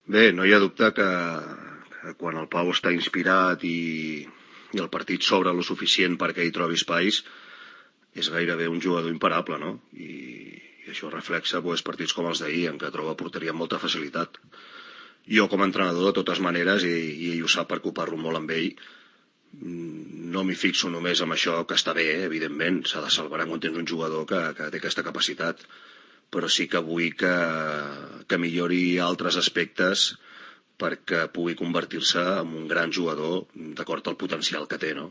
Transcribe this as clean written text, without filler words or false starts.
Bé, no hi ha dubte que quan el Pau està inspirat i el partit s'obre lo suficient perquè hi trobi espais, és gairebé un jugador imparable, no? I això reflexa partits com els d'ahir, en què troba porteria amb molta facilitat. Jo, com a entrenador, de totes maneres, i ell ho sap perquè ho parlo molt amb ell, no m'hi fixo només amb això, que està bé, evidentment, s'ha de celebrar quan tens un jugador que té aquesta capacitat, però sí que vull que millori altres aspectes perquè pugui convertir-se en un gran jugador d'acord al potencial que té, no?